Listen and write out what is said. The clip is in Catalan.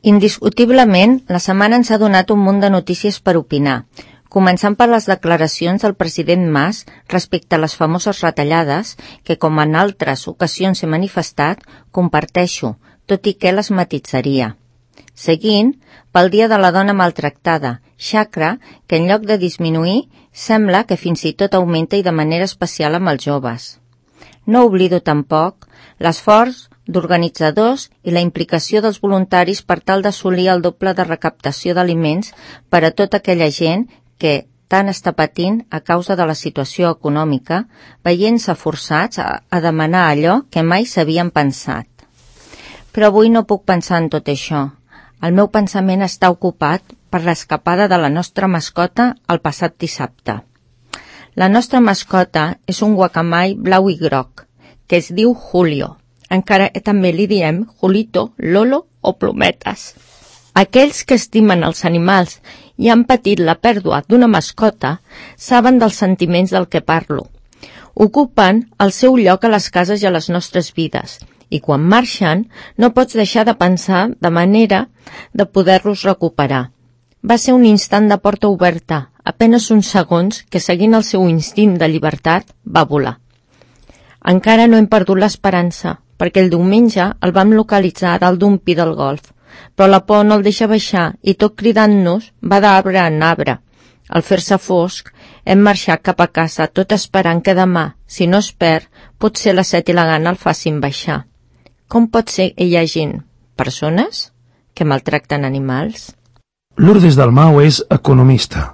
Indiscutiblement, la setmana ens ha donat un munt de notícies per opinar, començant per les declaracions del president Mas respecte a les famoses retallades que, com en altres ocasions he manifestat, comparteixo, tot i que les matitzaria. Seguint, pel Dia de la Dona Maltractada, xacra que en lloc de disminuir, sembla que fins i tot augmenta i de manera especial amb els joves. No oblido tampoc l'esforç d'organitzadors i la implicació dels voluntaris per tal d'assolir el doble de recaptació d'aliments per a tota aquella gent que tant està patint a causa de la situació econòmica, veient-se forçats a demanar allò que mai s'havien pensat. Però avui no puc pensar en tot això. El meu pensament està ocupat per l'escapada de la nostra mascota el passat dissabte. La nostra mascota és un guacamai blau i groc, que es diu Julio. Encara també li diem Julito, Lolo o Plometes. Aquells que estimen els animals i han patit la pèrdua d'una mascota saben dels sentiments del que parlo. Ocupen el seu lloc a les cases i a les nostres vides, i quan marxen no pots deixar de pensar de manera de poder-los recuperar. Va ser un instant de porta oberta, apenes uns segons que, seguint el seu instint de llibertat, va volar. Encara no hem perdut l'esperança, perquè el diumenge el vam localitzar dalt d'un pi del golf, però la por no el deixa baixar i tot cridant-nos va d'arbre en arbre. Al fer-se fosc, hem marxat cap a casa tot esperant que demà, si no es perd, potser la set i la gana el facin baixar. Com pot ser que hi hagin persones que maltracten animals? Lourdes Dalmau és economista.